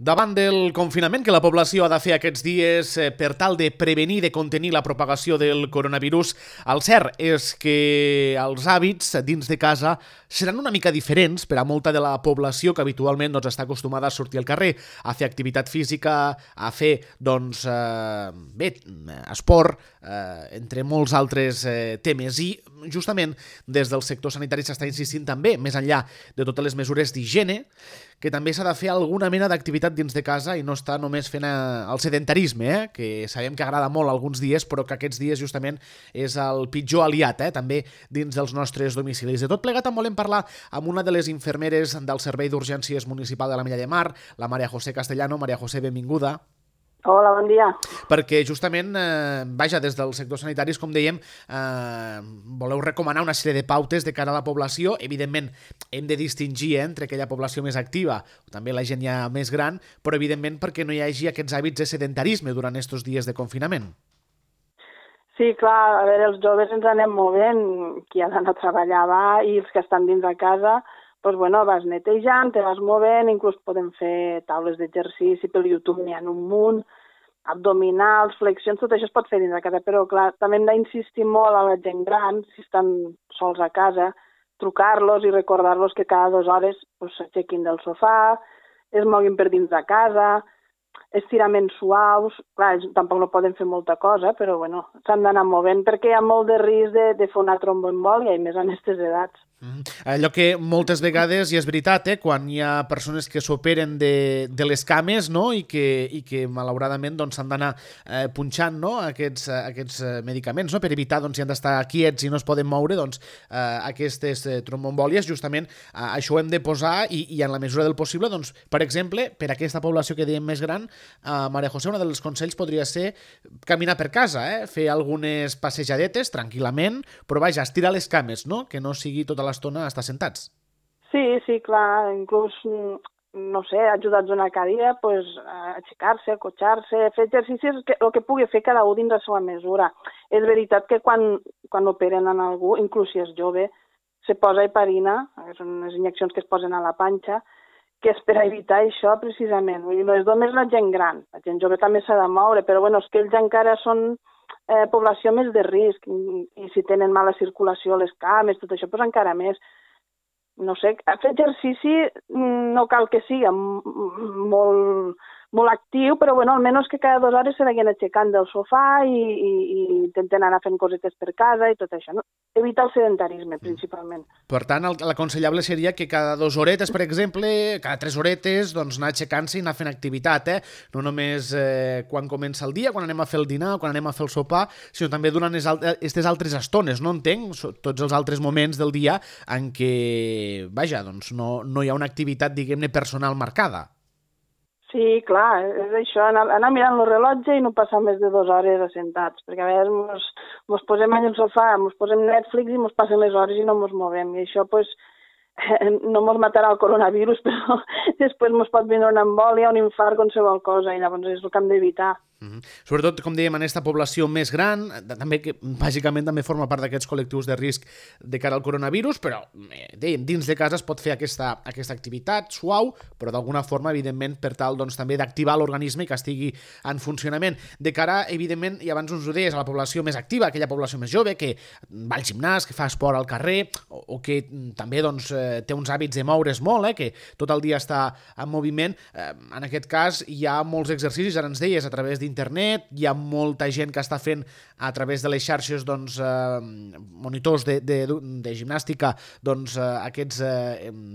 Davant del confinament que la població ha de fer aquests dies per tal de prevenir i de contenir la propagació del coronavirus, el cert és que els hàbits dins de casa seran una mica diferents per a molta de la població que habitualment està acostumada a sortir al carrer, a fer activitat física, a fer, esport, entre molts altres temes. I justament des del sector sanitari s'està insistint també, més enllà de totes les mesures d'higiene, que també s'ha de fer alguna mena d'activitat dins de casa i no estar només fent el sedentarisme, que sabem que agrada molt alguns dies, però que aquests dies justament és el pitjor aliat, també dins dels nostres domicilis. De tot plegat en volem parlar amb una de les infermeres del Servei d'Urgències Municipal de la Mella de Mar, la Maria José Castellano. Maria José, benvinguda. Hola, bon dia. Perquè justament, des del sector sanitari, com dèiem, voleu recomanar una sèrie de pautes de cara a la població. Evidentment, hem de distingir entre aquella població més activa, o també la gent ja més gran, però evidentment perquè no hi hagi aquests hàbits de sedentarisme durant aquests dies de confinament. Sí, clar, a veure, els joves ens anem movent, qui ha d'anar a treballar va, i els que estan dins de casa, doncs, vas netejant, te vas movent, inclús podem fer taules d'exercici, pel YouTube n'hi ha un munt, abdominals, flexions, tot això es pot fer dins de casa, però clar, també hem d'insistir molt a la gent gran, si estan sols a casa, trucar-los i recordar-los que cada 2 hores s'aixequin del sofà, es moguin per dins de casa, estiraments suaus, clar, tampoc no poden fer molta cosa, però s'han d'anar movent perquè hi ha molt de risc de fer una tromboembòlia, i més en aquestes edats. Allò que moltes vegades, i és veritat, quan hi ha persones que s'operen de les cames, no? I que malauradament s'han d'anar punxant, no? aquests medicaments, no? Per evitar, si han d'estar quiets i no es poden moure, aquestes tromboembòlies, justament això ho hem de posar i en la mesura del possible, per exemple, per aquesta població que dèiem més gran, Maria José, un dels consells podria ser caminar per casa, fer algunes passejadetes tranquil·lament, però estirar les cames, no? Que no sigui tota l'estona estar sentats. Sí, clar, inclús, no sé, ajudats una cadira, a aixecar-se, acotxar-se, fer exercicis, el que pugui fer cada un dins la seva mesura. És veritat que quan operen en algú, inclús si és jove, se posa heparina, que són les injeccions que es posen a la panxa, que és per evitar això precisament. Vull dir, no és només la gent gran, la gent jove també s'ha de moure, però és que ells encara són població més de risc, i si tenen mala circulació a les cames, tot això, encara més. No sé, fer exercici no cal que sigui molt actiu, però almenys que cada 2 hores se vagin aixecant del sofà i intenten anar fent cosetes per casa i tot això, no? Evitar el sedentarisme, principalment. Per tant, l'aconsellable seria que cada 2 horetes, per exemple, cada 3 horetes, anar aixecant-se i anar fent activitat, no només quan comença el dia, quan anem a fer el dinar, quan anem a fer el sopar, sinó també durant aquestes altres estones, no entenc? Tots els altres moments del dia en què, no hi ha una activitat, diguem-ne, personal marcada. Sí, clar, és això, anar mirant el rellotge i no passar més de 2 hores assentats, perquè a vegades mos posem allà al sofà, mos posem Netflix i mos passen les hores i no mos movem, i això no mos matarà el coronavirus, però després mos pot vindre una embòlia, un infart, qualsevol cosa, i llavors és el que hem d'evitar. Sobretot, com dèiem, en aquesta població més gran, també que bàsicament també forma part d'aquests col·lectius de risc de cara al coronavirus, però dèiem, dins de casa es pot fer aquesta activitat suau, però d'alguna forma, evidentment, per tal també d'activar l'organisme i que estigui en funcionament. De cara, evidentment, i abans ens ho deies, a la població més activa, aquella població més jove, que va al gimnàs, que fa esport al carrer, o que també té uns hàbits de moure's molt, que tot el dia està en moviment. En aquest cas, hi ha molts exercicis, ara ens deies, a través d'internet, hi ha molta gent que està fent a través de les xarxes monitors de gimnàstica aquests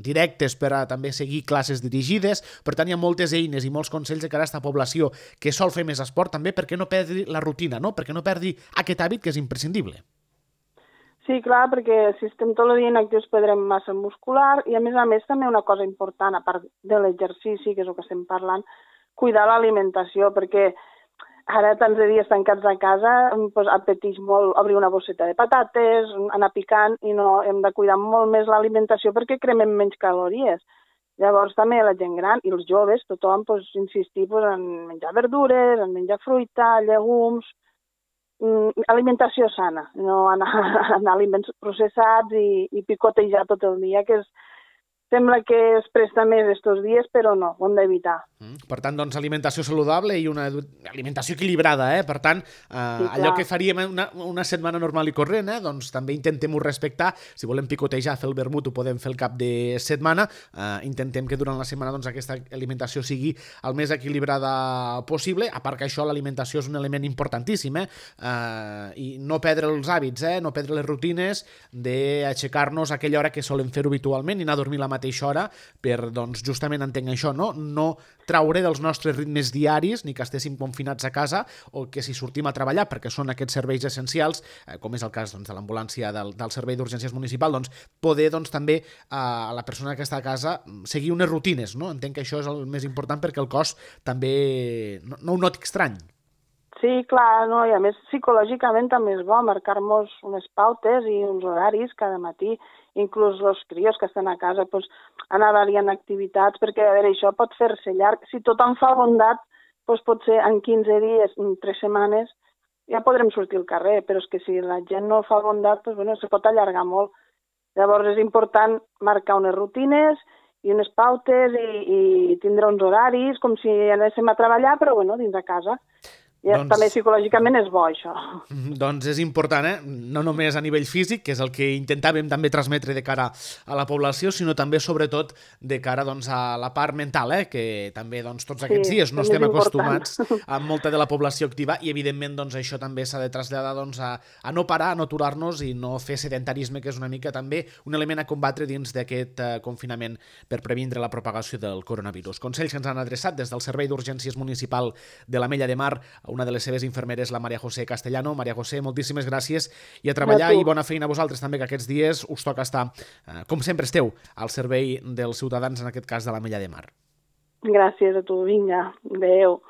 directes per a també seguir classes dirigides. Per tant, hi ha moltes eines i molts consells de cara a aquesta població que sol fer més esport també perquè no perdi la rutina, no? Perquè no perdi aquest hàbit que és imprescindible. Sí, clar, perquè si estem tot el dia inactius perdrem massa muscular i a més també una cosa important, a part de l'exercici, que és el que estem parlant, cuidar l'alimentació, perquè ara tants de dies tancats a casa apeteix molt obrir una bosseta de patates, anar picant, i no hem de cuidar molt més l'alimentació perquè cremem menys calories. Llavors també la gent gran i els joves, tothom insistir en menjar verdures, en menjar fruita, llegums, alimentació sana, no anar a aliments processats i picotejar tot el dia, que és sembla que es presta més estos dies, però no, ho hem d'evitar. Per tant, doncs, alimentació saludable i una alimentació equilibrada, eh? Per tant, allò que faríem una setmana normal i corrent, doncs també intentem-ho respectar. Si volem picotejar, fer el vermut, ho podem fer el cap de setmana. Intentem que durant la setmana doncs, aquesta alimentació sigui el més equilibrada possible, a part que això, l'alimentació és un element importantíssim, i no perdre els hàbits, no perdre les rutines d'aixecar-nos a aquella hora que solem fer-ho habitualment i anar a dormir a la mateixa hora per, doncs, justament entenc això, no traure dels nostres ritmes diaris, ni que estéssim confinats a casa, o que si sortim a treballar, perquè són aquests serveis essencials, com és el cas doncs, de l'ambulància del Servei d'Urgències Municipal, doncs, poder doncs, també a la persona que està a casa seguir unes rutines, no? Entenc que això és el més important perquè el cos també no ho noti estrany. Sí, clar, no? I a més psicològicament també és bo marcar-nos unes pautes i uns horaris cada matí, inclús els crios que estan a casa, doncs, anar variant activitats, perquè a veure, això pot fer-se llarg. Si tothom fa bondat, doncs potser en 15 dies, en 3 setmanes, ja podrem sortir al carrer, però és que si la gent no fa bondat, doncs, bueno, se pot allargar molt. Llavors és important marcar unes rutines i unes pautes i tindre uns horaris, com si anéssim a treballar, però bueno, dins de casa. Doncs, també psicològicament és bo, això. Doncs és important, no només a nivell físic, que és el que intentàvem també transmetre de cara a la població, sinó també, sobretot, de cara doncs, a la part mental, que també doncs, tots aquests dies no estem acostumats amb molta de la població activa i, evidentment, doncs, això també s'ha de traslladar doncs, a no parar, a no aturar-nos i no fer sedentarisme, que és una mica també un element a combatre dins d'aquest confinament per previndre la propagació del coronavirus. Consells que ens han adreçat des del Servei d'Urgències Municipal de l'Ametlla de Mar, una de les seves infermeres, la Maria José Castellano. Maria José, moltíssimes gràcies i a treballar i bona feina a vosaltres també, que aquests dies us toca estar, com sempre esteu, al servei dels ciutadans, en aquest cas de l'Ametlla de Mar. Gràcies a tu, vinga, adeu.